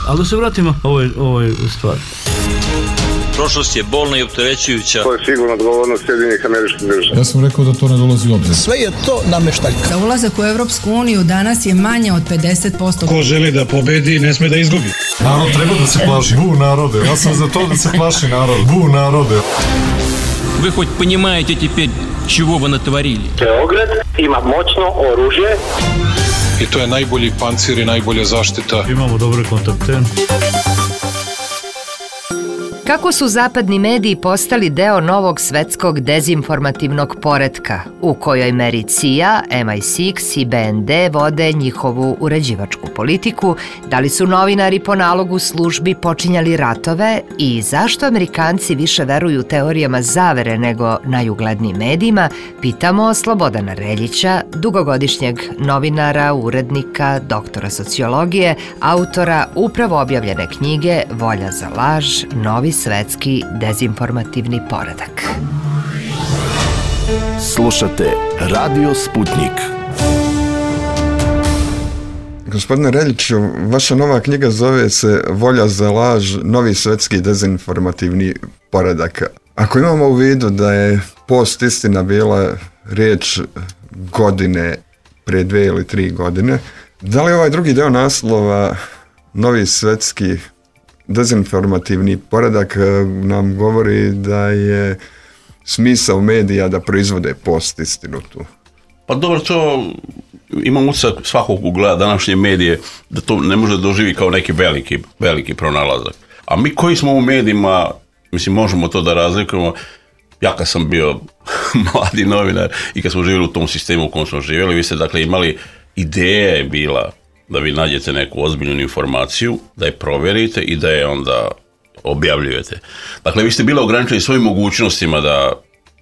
Ali da se vratimo ovoj stvari. Prošlost je bolna i opterećujuća. To je sigurno odgovornost Sjedinjenih Američkih Država. Ja sam rekao da to ne dolazi u obzir. Sve je to nameštaljka. Za ulazak u Evropsku uniju danas je manje od 50%. Ko želi da pobedi, ne sme da izgubi. Narod treba da se plaši. Bu narode. Ja sam za to da se plaši narod. Bu narode. Вы хоть понимаете теперь, чего вы натворили? Beograd ima moćno oružje. I to je najbolji pancir i najbolja zaštita. Imamo dobre kontakte. Kako su zapadni mediji postali deo novog svetskog dezinformativnog poretka, u kojoj meri CIA, MI6 i BND vode njihovu uređivačku politiku, da li su novinari po nalogu službi počinjali ratove i zašto Amerikanci više veruju teorijama zavere nego najuglednijim medijima, pitamo Slobodana Reljića, dugogodišnjeg novinara, urednika, doktora sociologije, autora upravo objavljene knjige Volja za laž, novi svetski dezinformativni poredak. Slušate Radio Sputnik. Gospodine Reljiću, vaša nova knjiga zove se Volja za laž, novi svetski dezinformativni poredak. Ako imamo u vidu da je post istina bila riječ godine prije 2 ili 3 godine, da li ovaj drugi deo naslova novi svetski dezinformativni poredak nam govori da je smisao medija da proizvode post istinu tu? Pa dobro, to imam utisak svakog ko gleda današnje medije da to ne može doživi kao neki veliki pronalazak. A mi koji smo u medijima, mislim, možemo to da razlikujemo. Ja kad sam bio mladi novinar i kad smo živjeli u tom sistemu u kojem smo živjeli, vi ste dakle imali, ideja je bila da vi nađete neku ozbiljnu informaciju, da je provjerite i da je onda objavljujete. Dakle, vi ste bili ograničeni svojim mogućnostima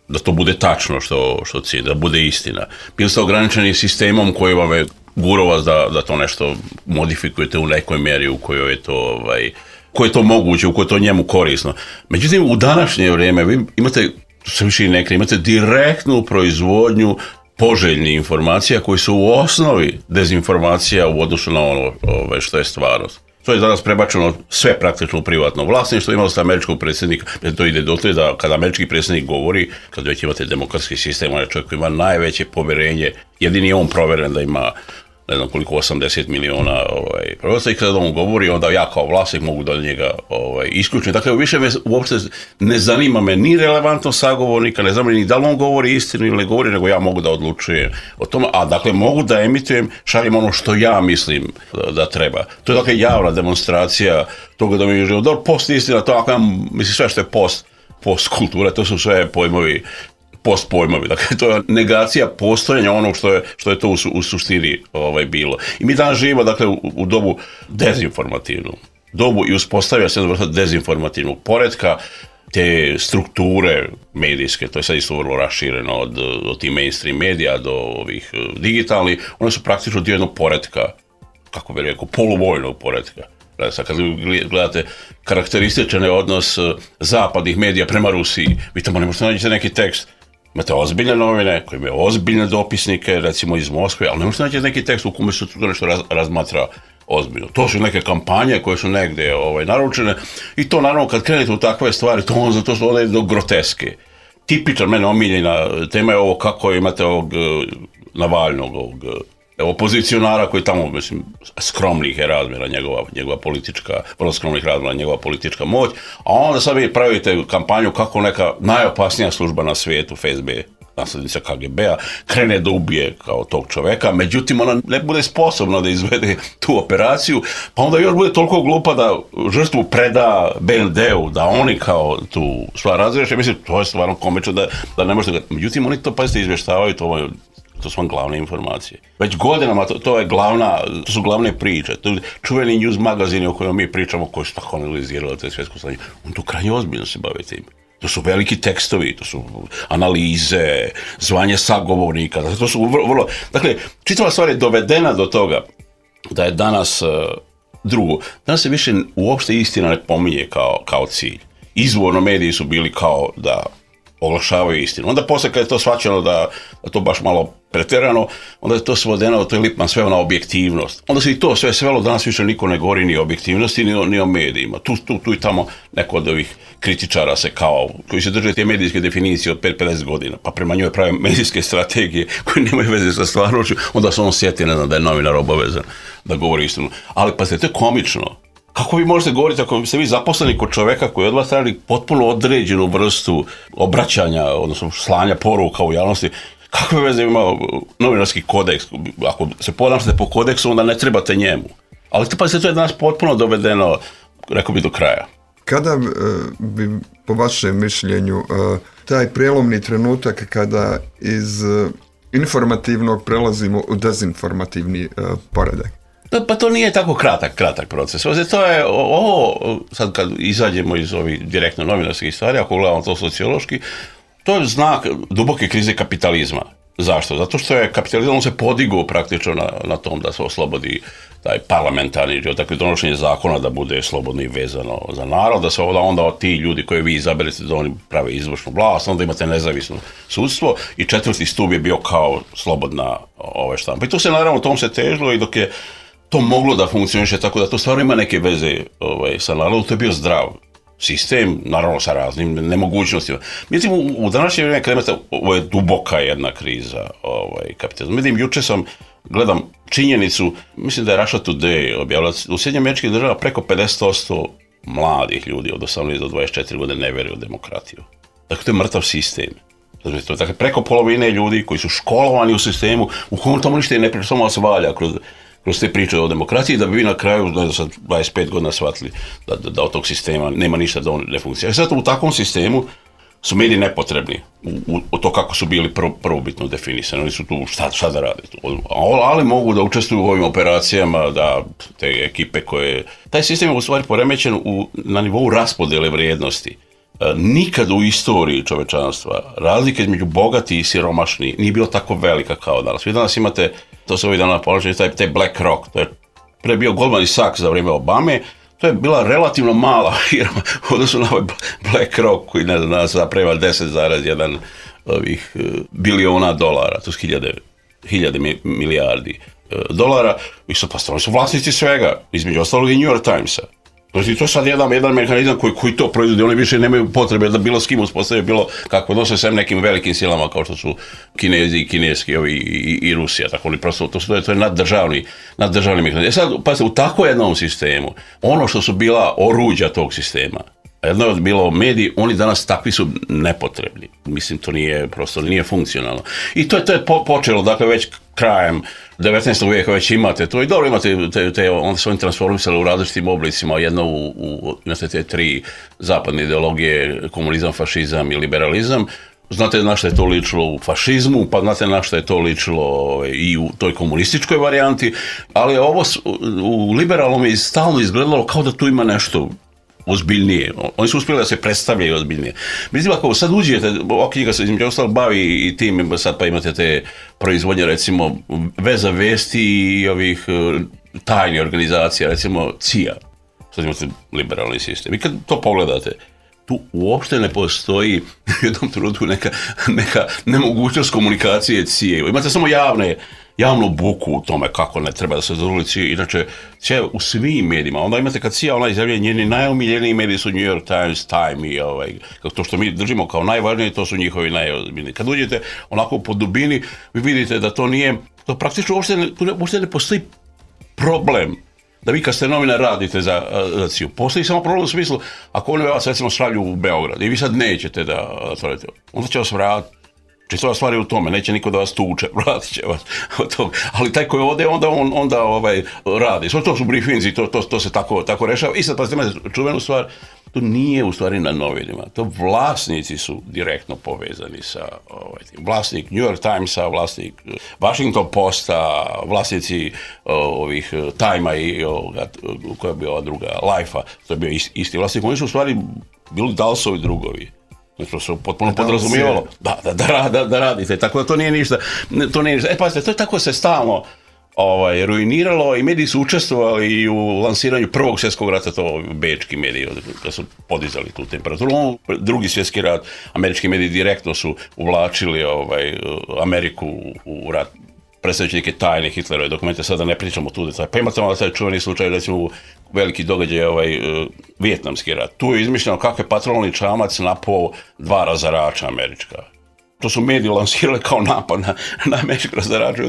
da to bude tačno što cilj, da bude istina. Bili ste ograničeni sistemom koji vam je gurao vas da to nešto modifikujete u nekoj mjeri u kojoj je to, koje je to moguće, u kojoj je to njemu korisno. Međutim, u današnje vrijeme vi imate, sve više i nekada, imate direktnu proizvodnju poželjnih informacija koji su u osnovi dezinformacija u odnosu na ono što je stvarnost. To je danas prebačeno sve praktično u privatno vlasništvo. Imali ste američkog predsjednika, to ide dotle da kada američki predsjednik govori, kad već imate demokratski sistem, on je čovjek koji ima najveće povjerenje, jedini je on provjeren da ima ne znam koliko, 80 miliona pravosta i kada on govori, onda ja kao vlasnik mogu da njega isključim. Dakle, više me uopšte ne zanima me ni relevantno sagovornika, ne znam ni da li on govori istinu ili ne govori, nego ja mogu da odlučujem o tome, a dakle mogu da emitujem, šaljem ono što ja mislim da treba. To je dakle javna demonstracija toga da mi je život. Post istina, to ako mislim sve što je post kultura, to su sve pojmovi, postpojmovi. Dakle, to je negacija postojanja onog što je to u suštini bilo. I mi danas živimo, dakle, u dobu dezinformativnu dobu i uspostavlja se jedna vrsta dezinformativnog poretka, te strukture medijske, to je sad isto vrlo rašireno od tih mainstream medija do ovih digitalnih, one su praktično dio jednog poretka, kako bih rekao, poluvojnog poretka. Sad kad gledate karakterističan odnos zapadnih medija prema Rusiji, vi tamo ne možete naći neki tekst. Imate ozbiljne novine koje imaju ozbiljne dopisnike, recimo iz Moskve, ali ne možete naći neki tekst u kome se to nešto razmatra ozbiljno. To su neke kampanje koje su negdje naručene i to naravno kad krenete u takve stvari, to su one do groteske. Tipičan, mene omiljena tema je ovo kako imate ovog Navalnog, opozicionara koji tamo, mislim, skromnih je razmjera njegova politička, vrlo skromnih razmjera njegova politička moć, a onda sad vi pravite kampanju kako neka najopasnija služba na svijetu, FSB, naslednica KGB-a, krene da ubije kao tog čoveka, međutim ona ne bude sposobna da izvede tu operaciju, pa onda još bude toliko glupa da žrtvu preda BND-u, da oni kao tu stvar razriješe. Mislim, to je stvarno komično da ne možete. Međutim, oni to, pazite, izvještavaju, to su vam glavne informacije. Već godinama to su glavne priče. To čuveni news magazini o kojima mi pričamo, koji su tako analizirali te svjetsko stanje, on tu krajnje ozbiljno se bave tim. To su veliki tekstovi, to su analize, zvanje sagovornika, to su vrlo... Dakle, čitava stvar je dovedena do toga da je danas drugo. Danas se više uopšte istina ne pominje kao cilj. Izvorno mediji su bili kao da oglašavaju istinu. Onda poslije kad je to shvaćeno da to baš malo pretjerano, onda je to svodeno, to je Lipman sveo na objektivnost. Onda se i to sve svelo, danas više niko ne govori ni o objektivnosti, ni o medijima. Tu i tamo neko od ovih kritičara se kao, koji se drže te medijske definicije od 50 godina, pa prema njoj prave medijske strategije koje nemaju veze sa stvarnošću, onda se on sjeti, ne znam, da je novinar obavezan da govori istinu. Ali pa to je komično. Kako vi možete govoriti ako ste vi zaposleni kod čoveka koji od vas traži potpuno određenu vrstu obraćanja, odnosno slanja poruka u javnosti, kakve veze ima novinarski kodeks? Ako se ponašate po kodeksu, onda ne trebate njemu. Ali pa se to je danas potpuno dovedeno, rekao bi, do kraja. Kada bi, po vašem mišljenju, taj prijelomni trenutak kada iz informativnog prelazimo u dezinformativni poredak? Pa to nije tako kratak proces. To je ovo, sad kad izađemo iz ovih direktno novinarskih stvari, ako gledamo to sociološki, to je znak duboke krize kapitalizma. Zašto? Zato što je kapitalizam, on se podigao praktično na tom da se oslobodi taj parlamentarni život, dakle donošenje zakona da bude slobodno i vezano za narod, da se onda ti ljudi koje vi izaberete da oni prave izvršnu vlast, onda imate nezavisno sudstvo i 4. stup je bio kao slobodna štampa. I to se naravno, tom se težilo i dok je to moglo da funkcioniše tako da to stvarno ima neke veze sa narodom, to je bio zdrav sistem, naravno sa raznim nemogućnostima. Mislim, u današnje vrijeme kada imate, ovo je duboka jedna kriza kapitalizma. Vidim, juče gledam činjenicu, mislim da je Russia Today objavila, u SAD preko 50% mladih ljudi od 18 do 24 godine ne vjeruju u demokratiju. Dakle, to je mrtav sistem. Dakle, preko polovine ljudi koji su školovani u sistemu, u kojem tamo ništa ne priča, samo vas valja kroz te priče o demokraciji, da bi vi na kraju, ne znam, 25 godina shvatili da od tog sistema nema ništa, da on ne funkcionira. Sad u takvom sistemu su mediji nepotrebni u to kako su bili prvobitno definisani. Oni su tu šta da rade. Ali mogu da učestvuju u ovim operacijama, da te ekipe koje... Taj sistem je u stvari poremećen na nivou raspodjele vrijednosti. Nikad u istoriji čovečanstva razlika između bogati i siromašni nije bilo tako velika kao danas. Vi danas imate, to se ovih dana ponačaju, taj BlackRock, to je pre bio Goldman Sachs za vrijeme Obame, to je bila relativno mala firma odnosno na ovaj BlackRock koji ne znam, danas zaprema 10,1 biliona dolara, to su hiljade milijardi dolara, i su vlasnici svega, između ostalog i New York Timesa. Znači, to je sad jedan mehanizam koji to proizvodi, oni više nemaju potrebe da bilo s kim uspostavljaju bilo kako odnose sve nekim velikim silama kao što su Kinezi i kineski i Rusija, tako oni prosto, to je naddržavni mehanizam. Sad, pazite, u takvom jednom sistemu, ono što su bila oruđa tog sistema, jedno je bilo mediji, oni danas takvi su nepotrebni. Mislim, to nije funkcionalno. I to je počelo, dakle, već krajem 19. vijeka već imate to i dobro imate onda su oni transformisali u različitim oblicima, jedno imate te 3 zapadne ideologije, komunizam, fašizam i liberalizam. Znate na što je to ličilo u fašizmu, pa znate na što je to ličilo i u toj komunističkoj varijanti, ali ovo u liberalnom je stalno izgledalo kao da tu ima nešto ozbiljnije. Oni su uspjeli da se predstavljaju ozbiljnije. Mislim, ako sad uđete, ova knjiga se između ostalo bavi i tim, sad pa imate te proizvodnje, recimo, veza vesti i ovih tajnih organizacija, recimo CIA. Sad imate liberalni sistem. I kad to pogledate, tu uopšte ne postoji u jednom trenutku neka nemogućnost komunikacije CIA. Imate samo javnu buku u tome kako ne treba da se zadovolji. Inače, sve u svim medijima. Onda imate kad CIA ona izjavlja, njeni najomiljeniji mediji su New York Times, Time i to što mi držimo kao najvažnije, to su njihovi najozbiljniji. Kad uđete onako po dubini, vi vidite da to nije, to praktično uopšte ne postoji problem da vi kad ste novinar radite za CIA. Postoji samo problem u smislu, ako oni vas recimo šalju u Beograd i vi sad nećete da otvorite, onda će vas vratiti. Čistova stvar je u tome, neće niko da vas tuče, vratit će vas od toga. Ali taj koji ode, onda radi. To su briefinzi, to se tako rešava. I sad, pa ste imate čuvenu stvar, to nije u stvari na novinima. To vlasnici su direktno povezani sa vlasnik New York Timesa, vlasnik Washington Posta, vlasnici ovih Time-a i koja je bila ova druga, Life-a, to je bio isti vlasnik. Oni su u stvari bili Dalsovi drugovi. To se potpuno podrazumijevalo da radite, tako da to nije ništa. Pazite, to je tako se stalno ruiniralo i mediji su učestvovali i u lansiranju Prvog svjetskog rata, to bečki mediji, kad su podizali tu temperaturu. Drugi svjetski rat, američki mediji direktno su uvlačili Ameriku u rat, predstavljajući neke tajne Hitlerove dokumente, sada ne pričamo tu detalje. Pa imate malo taj čuveni slučaj, recimo veliki događaj, Vijetnamski rat. Tu je izmišljeno kako je patrolni čamac napao 2 razarača američka. To su mediji lansirali kao napad na američke razarače.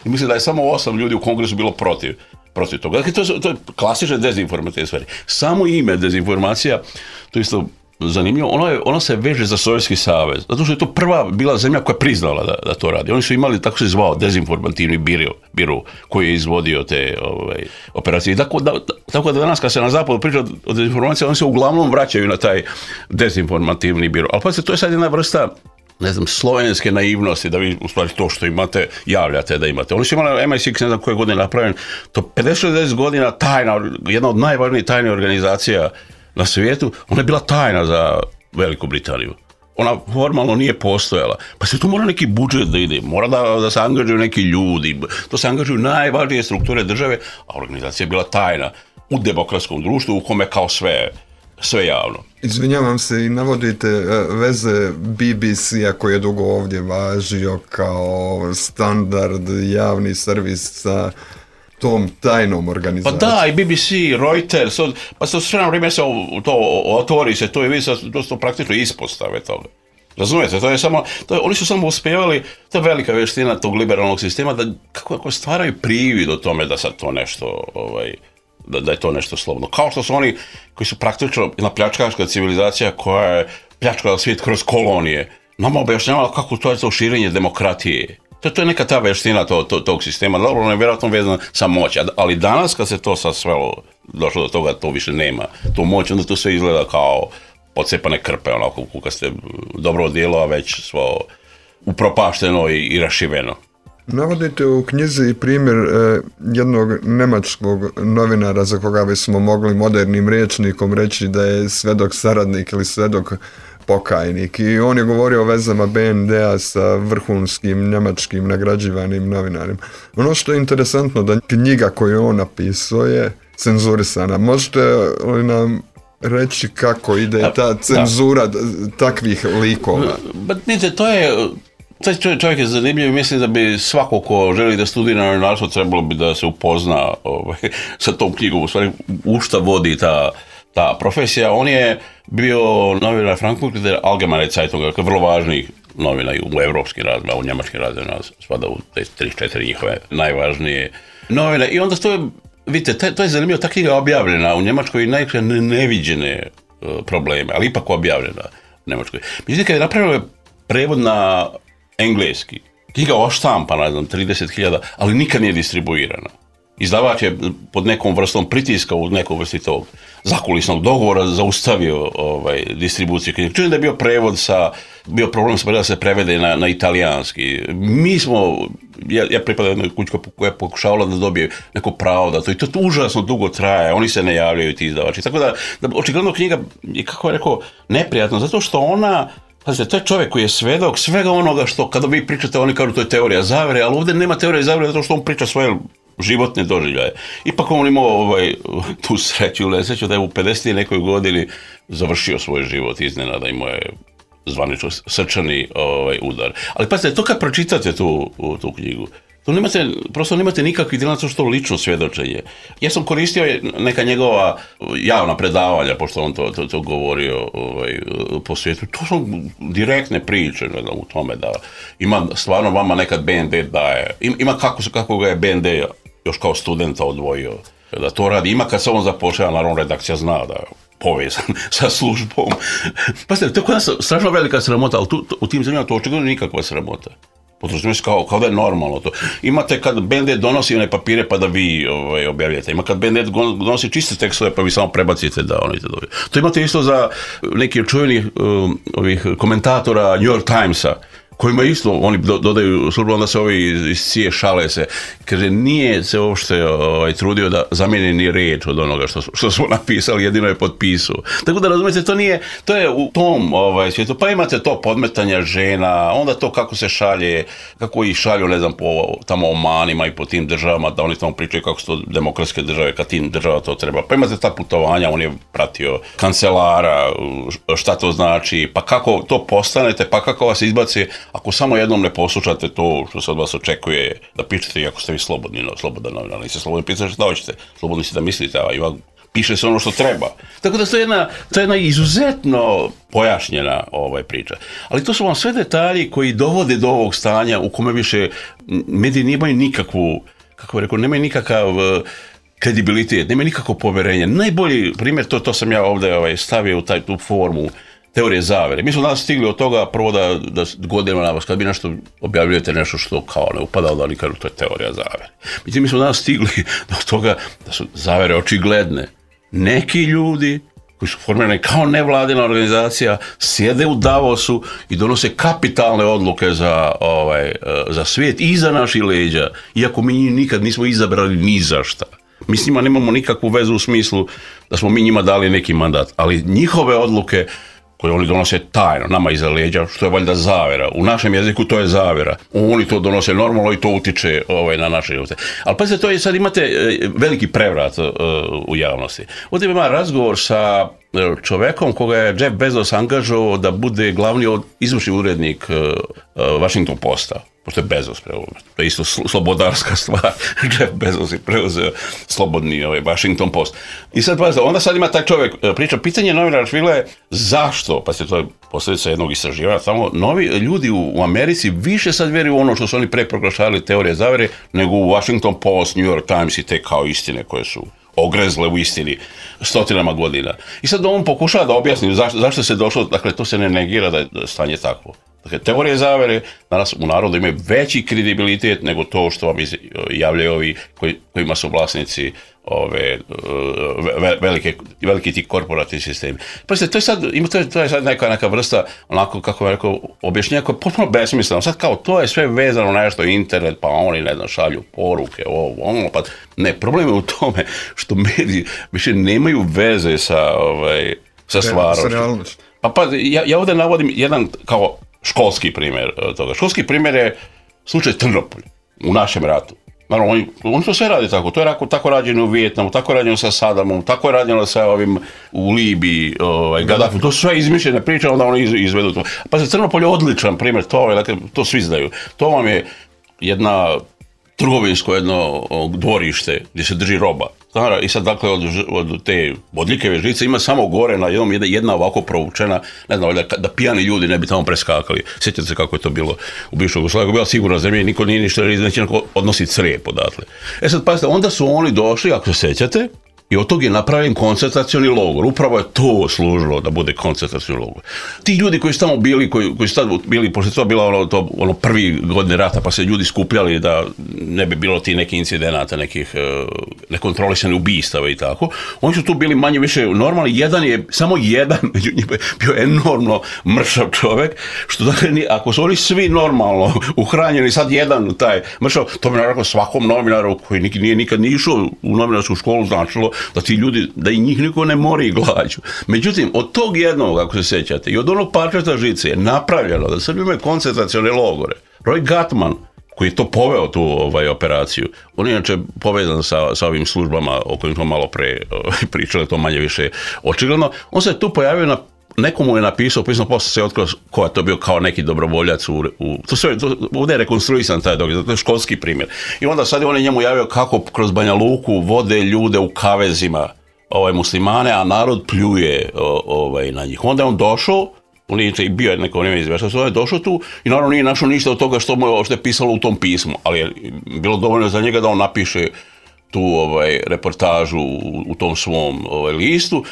Mislim da je samo 8 ljudi u Kongresu bilo protiv toga. Dakle, to je klasične dezinformativne stvari. Samo ime dezinformacija, to je isto zanimljivo, ono se veže za Sovjetski savez, zato što je to prva bila zemlja koja je priznala da to radi. Oni su imali, tako se zvao, dezinformativni biro koji je izvodio te operacije. Tako da danas kad se na zapadu priča o dezinformaciji, oni se uglavnom vraćaju na taj dezinformativni biro. Ali pa to je sad jedna vrsta, ne znam, slovenske naivnosti, da vi u stvari to što imate, javljate da imate. Oni su imali MI6, ne znam koje godine napravljen, to 50-60 godina tajna, jedna od najvažnijih tajnih organizacija na svijetu, ona je bila tajna za Veliku Britaniju. Ona formalno nije postojala. Pa se tu mora neki budžet da ide, mora da se angažuju neki ljudi, to se angažuju najvažnije strukture države, a organizacija je bila tajna u demokratskom društvu u kome kao sve javno. Izvinjavam se, i navodite veze BBC-a koji je dugo ovdje važio kao standard javni servis sa tom tajnom organizacijom. Pa da, i BBC, Reuters, pa se sve na vrijeme se to otvori se, to je vidi, to su praktično ispostave toga. Razumijete, to je samo, oni su samo uspjevali, to je velika vještina tog liberalnog sistema, da kako stvaraju privid o tome da sad to nešto, da je to nešto slobodno. Kao što su oni koji su praktično jedna pljačkaška civilizacija koja je pljačkala svijet kroz kolonije, nama objašnjavala kako to je to širenje demokratije. To je neka ta vještina tog sistema, dobro, on je vjerojatno vezan sa moć, ali danas kad se to sad svelo, došlo do toga, to više nema tu moć, onda to sve izgleda kao pocepane krpe, onako kad ste dobro odijelo, a već svo upropašteno i rašiveno. Navodite u knjizi primjer jednog njemačkog novinara za koga bismo mogli modernim rječnikom reći da je svedok saradnik ili svedok pokajnik, i on je govorio o vezama BND-a sa vrhunskim njemačkim nagrađivanim novinarima. Ono što je interesantno, da knjiga koju on napisao je cenzurisana. Možete li nam reći kako ide ta cenzura takvih likova? Taj čovjek je zanimljiv i mislim da bi svako ko želi da studira novinarstvo trebalo bi da se upozna sa tom knjigom, u stvari u šta vodi ta profesija. On je bio novinar Frankfurter Allgemeine Zeitung, dakle vrlo važnih novina u evropskim razmjerima, u njemačkim razmjerima spada u te 3-4 njihove najvažnije novine. I onda to je, vidite, to je zanimljivo, ta knjiga je objavljena u Njemačkoj i najkre neviđene probleme, ali ipak objavljena u Njemačkoj. Mislim, kad je napravila prevod na engleski, knjiga oštampana, ne znam, 30.000, ali nikad nije distribuirana. Izdavač je pod nekom vrstom pritiska u nekoj vrsti tog zakulisnog dogovora zaustavio distribuciju knjige. Čujem da je bio prevod bio problem da se prevede na italijanski. Mi smo, ja pripadam jednoj kući koja je pokušavala da dobije neko pravo da to, i to užasno dugo traje, oni se ne javljaju ti izdavači. Tako da očigledno knjiga je, kako je rekao, neprijatno, zato što ona, pazite, to je čovjek koji je svedok svega onoga što, kada vi pričate, oni kažu to je teorija zavere, ali ovdje nema teorije zavere zato što on priča svoje životne doživljaje. Ipak on imao tu sreću ili nesreću da je u 50. nekoj godini završio svoj život iznenada, imao je zvanično srčani udar. Ali pazite, to kad pročitate tu knjigu, prosto nemate nikakvih djela što lično svjedočenje. Ja sam koristio neka njegova javna predavanja, pošto on to govorio po svijetu. To su direktne priče u tome da ima stvarno vama nekad BND daje. Ima kako ga je BND još kao studenta odvojio da to radi. Ima kad se on započeo, naravno redakcija zna da je povezan sa službom. Pazite, to je kod nas strašno velika sramota, ali u tim zemljama to očigledno nikakva sramota. Potrošimo se kao da je normalno to. Imate kad BND donosi one papire pa da vi objavljate. Ima kad BND donosi čiste tekstove pa vi samo prebacite da oni te dobiju. To imate isto za neki od čuvenih ovih komentatora New York Timesa kojima isto, oni dodaju službu, onda se ovi iz cije šale se. Kaže, nije se uopšte trudio da zamijeni ni riječ od onoga što smo napisali, jedino je potpisao. Tako da razumijete, to je u tom svijetu. Pa imate to podmetanja žena, onda to kako se šalje, kako ih šalju, ne znam, po tamo Omanima i po tim državama, da oni tamo pričaju kako su to demokratske države, kad tim država to treba. Pa imate ta putovanja, on je pratio kancelara, šta to znači, pa kako to postanete, pa kako vas izbaci, ako samo jednom ne poslušate to što se od vas očekuje da pišete, iako ste vi slobodan novinar, niste slobodni pisati šta hoćete, slobodni ste da mislite, a piše se ono što treba. Tako da to je jedna izuzetno pojašnjena priča. Ali to su vam sve detalji koji dovode do ovog stanja u kome više mediji nemaju nikakvu, kako bih rekao, nemaju nikakav kredibilitet, nemaju nikakvo poverenje. Najbolji primjer, to sam ja ovdje stavio u tu formu teorije zavere. Mi smo danas stigli od toga prvo da godinama na vas, kad bi nešto objavljujete nešto što kao ne upada, da oni kažu to je teorija zavere. Međutim, mi smo danas stigli do toga da su zavere očigledne. Neki ljudi koji su formirani kao nevladina organizacija sjede u Davosu i donose kapitalne odluke za svijet i za naši leđa, iako mi nikad nismo izabrali ni za šta. Mi s njima nemamo nikakvu vezu u smislu da smo mi njima dali neki mandat, ali njihove odluke koje oni donose tajno, nama iza leđa, što je valjda zavera. U našem jeziku to je zavera. Oni to donose normalno i to utiče na naše živote. Ali pazite, to je sad imate veliki prevrat u javnosti. Ovdje ima razgovor sa čovekom koga je Jeff Bezos angažovao da bude glavni izvršni urednik Washington Posta. Pošto je Bezos preuzeo. To je isto slobodarska stvar. Jeff Bezos je preuzeo slobodni Washington Post. I sad, onda sad ima taj čovjek priča. Pitanje novinara Švigla je zašto, pa se to je posljedica jednog istraživanja, samo novi ljudi u Americi više sad vjeruju u ono što su oni pre proglašavali teorije zavere, nego u Washington Post, New York Times i te kao istine koje su ogrezle u istini stotinama godina. I sad on pokušava da objasni zašto se došlo, dakle to se ne negira da je stanje takvo. Dakle, teorije zavere danas u narodu imaju veći kredibilitet nego to što vam javljaju ovi kojima su vlasnici veliki ti korporativni sistemi. Pazite, to je sad neka vrsta, onako kako bih rekao, objašnjenja koja je potpuno besmisleno. Sad kao to je sve vezano na nešto internet, pa oni ne znam šalju poruke, pa ne, problem je u tome što mediji više nemaju veze sa stvarom. Pa ja ovdje navodim jedan kao školski primjer toga. Školski primjer je slučaj Trnopolj u našem ratu. Naravno, oni to sve radi tako. To je tako rađeno u Vijetnamu, tako je rađeno sa Sadamom, tako je rađeno sa ovim u Libiji, Gaddafi. To su sve izmišljene priče, onda oni izvedu to. Pa se Trnopolj je odličan primjer, to svi znaju. To vam je jedna trgovinsko jedno dvorište gdje se drži roba. I sad dakle od te bodljikave žice ima samo gore na jedna ovako provučena, ne znam, da pijani ljudi ne bi tamo preskakali. Sjećate se kako je to bilo u bivšoj Jugoslaviji, bila sigurna zemlja, niko nije ništa, neće odnositi crijep odatle. Sad pazite, onda su oni došli, ako se sjećate, i od tog je napravljen koncentracioni logor. Upravo je to služilo da bude koncentracioni logor. Ti ljudi koji su tamo bili, koji su tad bili, pošto je to bilo ono prvi godine rata, pa se ljudi skupljali da ne bi bilo ti nekih incidenata, nekih nekontrolisanih ubistava i tako, oni su tu bili manje više normalni. Samo jedan među njima bio enormno mršav čovjek, što dakle, ako su oni svi normalno uhranjeni, sad jedan taj mršav, to bi naravno svakom novinaru koji nije nikad ni išao u novinarsku školu značilo da ti ljudi, da i njih niko ne mori glađu. Međutim, od tog jednog, ako se sjećate, i od onog parčeta žice je napravljeno da Srbi imaju koncentracione logore. Roy Gatman, koji je to poveo tu operaciju, on je inače povezan sa ovim službama o kojim smo malo pre pričali, to manje više očigledno, on se tu pojavio nekomu je napisao, pisano posle se otkrio ko je to bio kao neki dobrovoljac ovdje je rekonstruisan taj događaj, to je školski primjer. I onda sad je on njemu javio kako kroz Banja Luku vode ljude u kavezima muslimane, a narod pljuje na njih. Onda je on došao, on je bio neko vrijeme izveštač, on je došao tu i naravno nije našao ništa od toga što je pisalo u tom pismu, ali je bilo dovoljno za njega da on napiše tu reportažu u tom svom listu.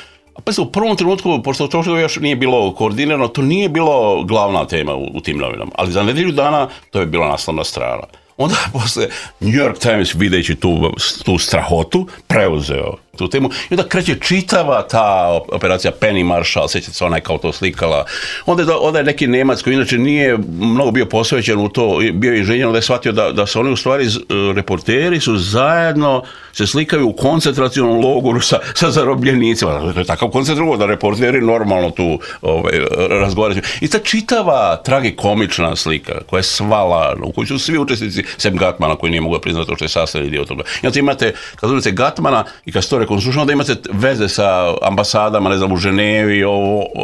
Pa u prvom trenutku, pošto to još nije bilo koordinirano, to nije bilo glavna tema u tim novinama, ali za nedjelju dana to je bila naslovna strana. Onda posle New York Times, videći tu strahotu, preuzeo tu temu i onda kreće čitava ta operacija Penny Marshall, sjećate se, ona je kao to slikala. Onda je neki Nemac koji inače nije mnogo bio posvećen u to, bio je inženjer, onda je shvatio da se oni u stvari reporteri su zajedno se slikaju u koncentracionom logoru sa zarobljenicima. To je takav koncentracion da reporteri normalno tu razgovaraju. I ta čitava tragikomična slika koja je svala, u kojoj su svi učesnici, sem Gatmana koji nije mogao priznati to što je sastavni dio toga. I onda imate, kad uzmete Gatmana i kad se to rekonstruiše, onda imate veze sa ambasadama, ne znam, u Ženevi,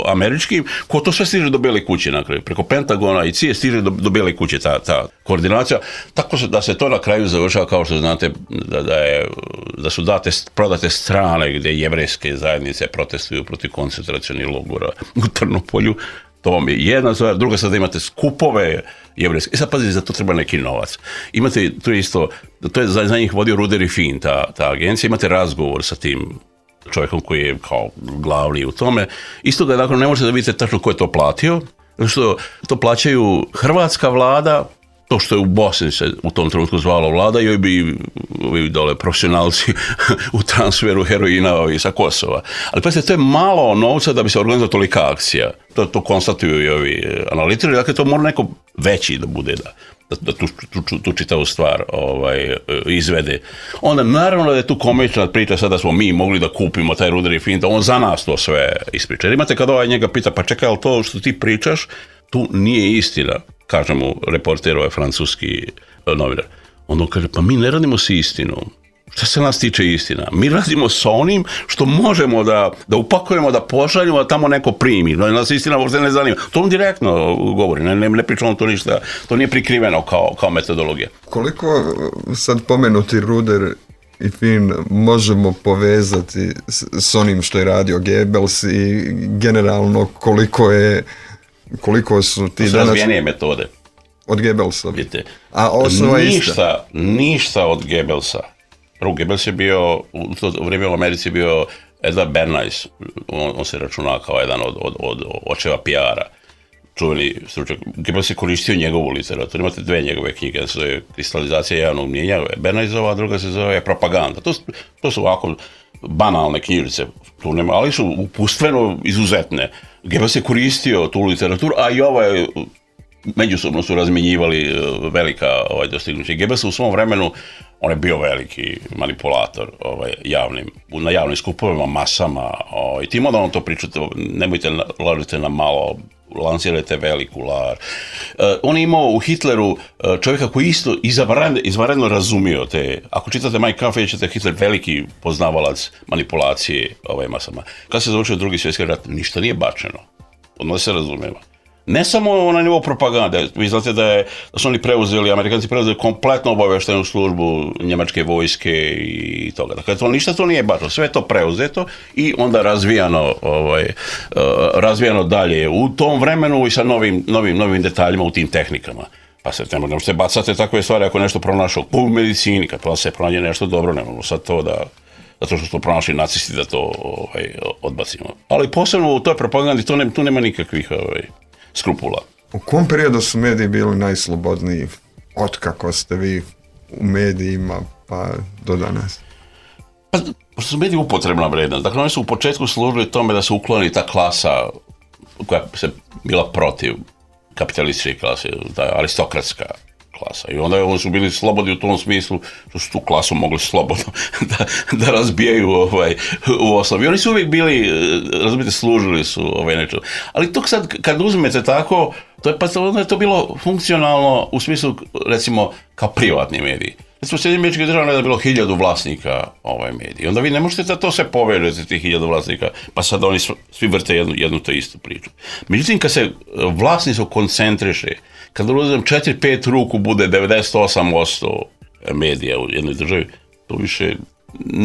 američkim, ko to sve stiže do Bijele kuće na kraju. Preko Pentagona i CIA stiže do Bijele kuće ta koordinacija. Tako da se to na kraju završava, kao što znate, da su prodate strane gdje jevrejske zajednice protestuju protiv koncentracionih logora u Trnopolju. To vam je jedna stvar. Druga stvar, da imate skupove jevrejske. I sad pazite, za to treba neki novac. Imate, to je isto, to je za njih vodio Ruder & Finn, ta agencija. Imate razgovor sa tim čovjekom koji je kao glavni u tome. Isto da dakle, ne možete da vidite tačno ko je to platio, zato što to plaćaju hrvatska vlada, to što je u Bosni se u tom trenutku zvalo vlada, joj bi ovi dole profesionalci u transferu heroina sa Kosova. Ali pazite, to je malo novca da bi se organizala tolika akcija. To konstatuju i ovi analitičari, dakle to mora neko veći da bude da tu čitavu stvar izvede. Onda naravno da je tu komična priča, sada smo mi mogli da kupimo taj Ruder & Finn, da on za nas to sve ispriča. Jer imate kad njega pita, pa čekaj, ali to što ti pričaš, tu nije istina, kaže mu reporter, francuski novinar. Onda on kaže, pa mi ne radimo s istinom. Šta se nas tiče istina? Mi radimo s onim što možemo da upakujemo, da pošaljemo, da tamo neko primi. Nas istina uopšte ne zanima. To on direktno govori, ne pričamo to ništa, to nije prikriveno kao metodologija. Koliko sad pomenuti Ruder i Finn možemo povezati s onim što je radio Goebbels i generalno koliko su ti danas... razvijenije metode. Od Goebbelsa. Vidite, a osnova je ista. Ništa od Goebbelsa. Prvo, Goebbels je bio, u to vrijeme u Americi bio Edward Bernays, on se računa kao jedan od očeva PR-a, čuveni stručnjak. Goebbels je koristio njegovu literaturu, imate dve njegove knjige, jedna se zove Kristalizacija javnog mnijenja, Bernaysova, a druga se zove Propaganda. To su ovako banalne knjižice, ali su upustveno izuzetne. Goebbels je koristio tu literaturu, a i međusobno su razmjenjivali velika dostignuća. Goebbels u svom vremenu, on je bio veliki manipulator na javnim skupovima, masama, i tim onda on to pričate, nemojte lažite na malo, lansirajte veliku lar. On je imao u Hitleru čovjeka koji isto izvanredno razumio te, ako čitate Mein Kampf, ćete Hitler veliki poznavalac manipulacije masama. Kad se završio Drugi svjetski rat, ništa nije bačeno, odmah se razumijemo. Ne samo na nivou propagande, vi znate da su oni Amerikanci preuzeli kompletno obavještajnu službu njemačke vojske i toga. Dakle, ništa to nije bačeno, sve je to preuzeto i onda razvijano dalje u tom vremenu i sa novim detaljima u tim tehnikama. Pa se ne možete bacati takve stvari ako nešto pronašao u medicini, kad pa se pronađe nešto dobro, ne možemo sad to zato što su to pronašli nacisti da to odbacimo. Ali posebno u toj propagandi tu nema nikakvih skrupula. U kom periodu su mediji bili najslobodniji otkako ste vi u medijima pa do danas? Pa su mediji upotrebna vrednost. Dakle, oni su u početku služili tome da se ukloni ta klasa koja se bila protiv kapitalističke klase, ta aristokratska klasa. I onda oni su bili slobodni u tom smislu što su tu klasu mogli slobodno da razbijaju u osnovi. Oni su uvijek bili, razumijete, služili su nešto. Ali to sad, kad uzmete tako, onda je to bilo funkcionalno u smislu, recimo, kao privatni mediji. Recimo, u Sjedinjenim Američkim Državama je bilo 1000 vlasnika mediji. Onda vi ne možete da to sve povežete, tih 1000 vlasnika, pa sad oni svi vrte jednu te istu priču. Međutim, kad se vlasništvo koncentriše, kad uzmem 4-5 ruku bude 98% medija u jednoj državi, to više,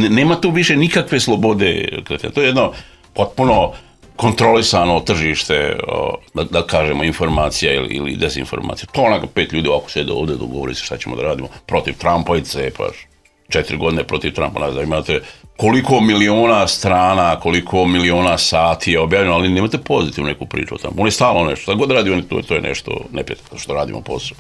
nema tu više nikakve slobode. To je jedno potpuno kontrolisano tržište, da kažemo, informacija ili dezinformacija. To onako 5 ljudi ovako sjede ovdje, dogovori se šta ćemo da radimo protiv Trumpa i cepaš. 4 godine protiv Trumpa, ne znam, imate koliko miliona strana, koliko miliona sati je objavljeno, ali nemate pozitivnu neku priču o tamo. On je stalno nešto, šta god radi, to je nešto neprijatno što radimo posao.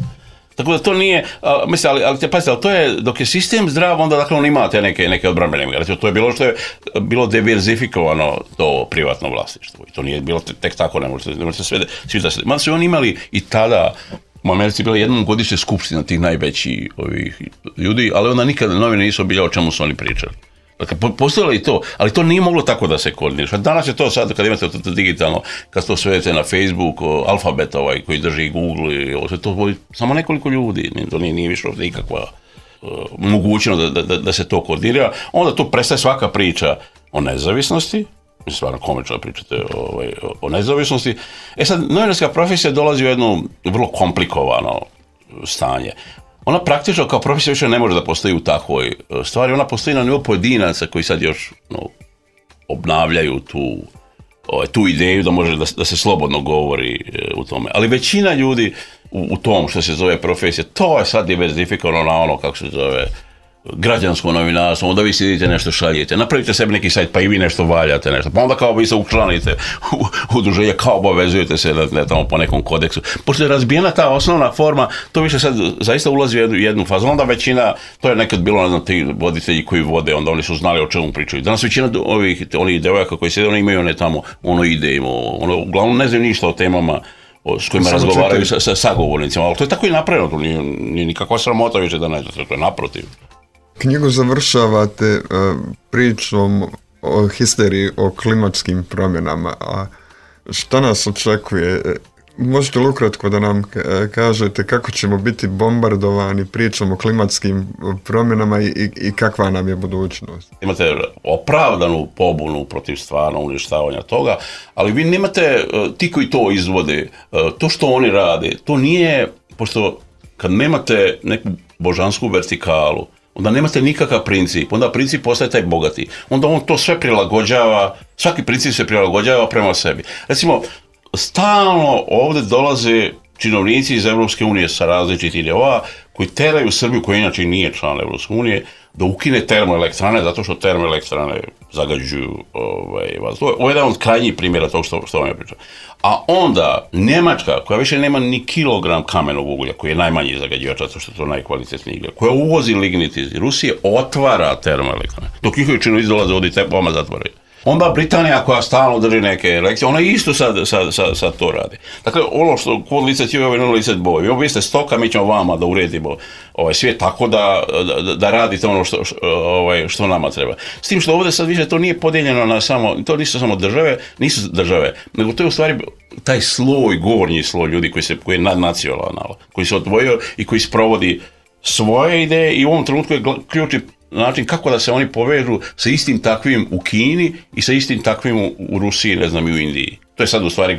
Tako da to nije, ali to je, dok je sistem zdrav, onda dakle on ima te neke odbrambene mjere. To je bilo što je bilo diverzifikovano to privatno vlasništvo. I to nije bilo tek tako, ne možete sve da se... Mada su oni imali i tada, u Americi bila jednom godišnja skupština tih najvećih ovih ljudi, ali onda nikada novine nisu obiljao o čemu su oni pričali. Dakle, postojalo i to, ali to nije moglo tako da se koordinira. Danas je to sad, kad imate to digitalno, kad to svedete na Facebook, Alfabet koji drži Google, to vodi samo nekoliko ljudi, to nije više ovdje ikakva mogućnost da se to koordinira. Onda tu prestaje svaka priča o nezavisnosti, stvarno komično pričate o nezavisnosti. Sad, novinarska profesija dolazi u jedno vrlo komplikovano stanje. Ona praktično kao profesija više ne može da postoji u takvoj stvari, ona postoji na nivou pojedinaca koji sad još obnavljaju tu ideju da može da se slobodno govori u tome. Ali većina ljudi u tom što se zove profesija, to je sad diverzifikovano na ono kako se zove građansko novinarstvo, onda vi sidite nešto šaljete, napravite sebi neki sajt pa i vi nešto valjate nešto, pa onda kao vi se učlanite u udruženje, kao obavezujete se tamo po nekom kodeksu. Pošto je razbijena ta osnovna forma, to više sad zaista ulazi u jednu fazu, onda većina, to je nekad bilo ti voditelji koji vode, onda oni su znali o čemu pričaju. Danas većina onih devojaka koji sjede, oni imaju one tamo, ide uglavnom ne znaju ništa o temama s kojima razgovaraju sa sagovornicima, ali to je tako i napravljeno, to nije nikakva sramota više da ne znate, to je naprotiv. Knjigu završavate pričom o histeriji, o klimatskim promjenama, a šta nas očekuje? Možete li ukratko da nam kažete kako ćemo biti bombardovani pričom o klimatskim promjenama i kakva nam je budućnost? Imate opravdanu pobunu protiv stvarno uništavanja toga, ali vi nemate, ti koji to izvode, to što oni rade, to nije, pošto kad nemate neku božansku vertikalu, onda nemate nikakav princip, onda princip postaje taj bogati. Onda on to sve prilagođava, svaki princip se prilagođava prema sebi. Recimo, stalno ovdje dolaze činovnici iz Evropske unije sa različitih ideja koji teraju Srbiju, koja inače nije član Evropske unije, da ukine termoelektrane, zato što termoelektrane zagađuju vazduh. Ovo je jedan od krajnjih primjera tog što vam je pričao. A onda Njemačka, koja više nema ni kilogram kamenog uglja, koji je najmanji zagađivač, zato što je to najkvalitetniji uglja, koja uvozi lignit iz Rusije, otvara termoelektrane. Dok njihovi činovnici dolaze ovdje i te bomba zatvoraju. Onda Britanija koja stalno drži neke lekcije, ona isto sad to radi. Dakle, ono što kod licet je ovaj licet boj. Vi ste stoka, mi ćemo vama da uredimo svijet tako da radite ono što nama treba. S tim što ovdje sad više to nije podijeljeno na samo, to nisu države, nego to je u stvari taj sloj, gornji sloj ljudi koji je nadnacionalan, koji se odvojio i koji sprovodi svoje ideje i u ovom trenutku je ključni način kako da se oni povežu sa istim takvim u Kini i sa istim takvim u Rusiji, ne znam, i u Indiji. To je sad u stvari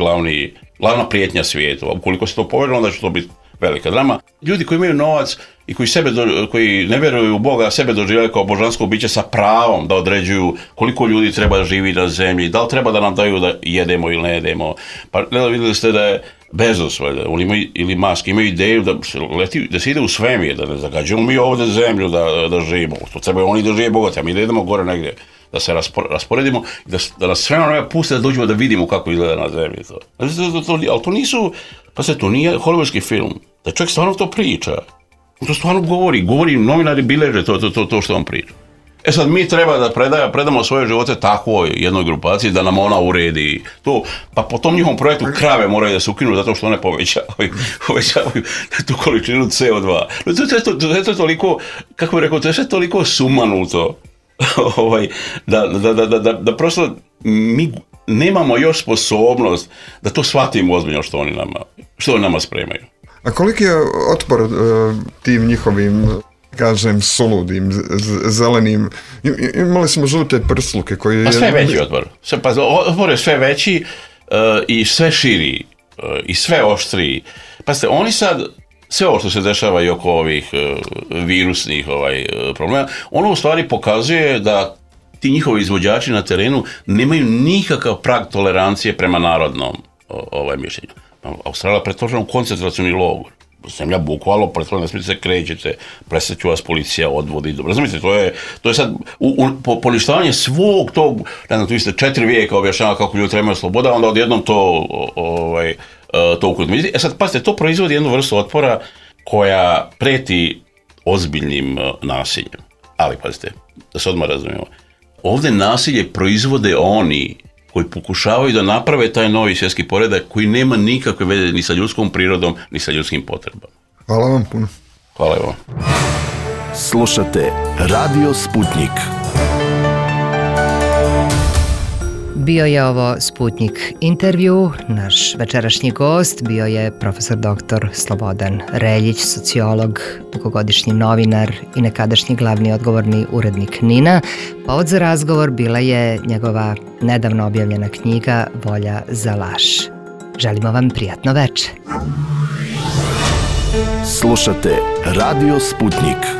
glavna prijetnja svijetu. A ukoliko se to poveže, onda će to biti velika drama. Ljudi koji imaju novac i koji ne vjeruju u Boga, sebe doživljaju kao božansko biće sa pravom da određuju koliko ljudi treba da živi na zemlji, da li treba da nam daju da jedemo ili ne jedemo. Pa vidjeli ste da je Bezos, ili Musk, imaju ideju da se ide u svemir, da ne zagađujemo mi ovdje zemlju da živimo. To treba oni da žive bogati, a mi da idemo gore negdje, da se rasporedimo, da nas sve vremena puste da dođemo da vidimo kako izgleda na zemlji. Ali to nisu, to nije hollywoodski film, da čovjek stvarno to priča. To stvarno govori, novinari bileže to što on priča. Sad mi treba da predamo svoje živote takvoj jednoj grupaciji da nam ona uredi to, pa po tom njihovom projektu krave moraju da se ukinu zato što one povećavaju tu količinu CO2. To je toliko, kako bih rekao, to je sve toliko sumanuto da prosto mi nemamo još sposobnost da to shvatimo ozbiljno što oni nama spremaju. A koliki je otpor tim njihovim, kažem, suludim, zelenim, imali smo žute prsluke koji... Pa sve veći otpor. Otpor je sve veći i sve širi i sve oštriji. Pazite, oni sad, sve ovo što se dešava i oko ovih virusnih problema, ono u stvari pokazuje da ti njihovi izvođači na terenu nemaju nikakav prag tolerancije prema narodnom mišljenju. Australija pretvoržena u koncentracioni logor. Zemlja bukvalno pretvorena, ne smijete se krećete, presjeću vas policija, odvodi. Razumite, to je sad poništavanje svog tog, ne znam, tu vi ste 4 vijeka objašnjava kako ljudi trebaju sloboda, onda odjednom to ukrutimo. Sad, pazite, to proizvodi jednu vrstu otpora koja preti ozbiljnim nasiljem. Ali pazite, da se odmah razumijemo, ovdje nasilje proizvode oni koji pokušavaju da naprave taj novi svjetski poredak koji nema nikakve veze ni sa ljudskom prirodom, ni sa ljudskim potrebama. Hvala vam puno. Hvala vam. Slušate Radio Sputnik. Bio je ovo Sputnik intervju. Naš večerašnji gost bio je profesor dr. Slobodan Reljić, sociolog, dugogodišnji novinar i nekadašnji glavni odgovorni urednik NIN-a. Povod za razgovor bila je njegova nedavno objavljena knjiga Volja za laž. Želimo vam prijatno večer. Slušate Radio Sputnik.